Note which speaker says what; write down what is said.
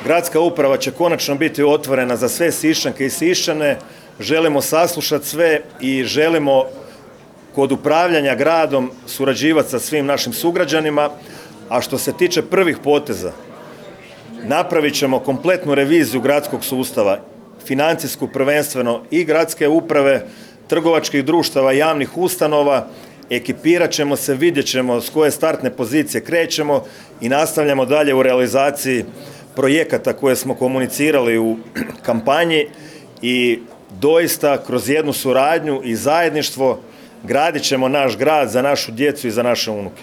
Speaker 1: Gradska uprava će konačno biti otvorena za sve Siščanke i Siščane. Želimo saslušati sve i želimo kod upravljanja gradom surađivati sa svim našim sugrađanima. A što se tiče prvih poteza, napravit ćemo kompletnu reviziju gradskog sustava, financijsku prvenstveno i gradske uprave, trgovačkih društava, javnih ustanova. Ekipirat ćemo se, vidjet ćemo s koje startne pozicije krećemo i nastavljamo dalje u realizaciji projekata koje smo komunicirali u kampanji i doista kroz jednu suradnju i zajedništvo gradit ćemo naš grad za našu djecu i za naše unuke.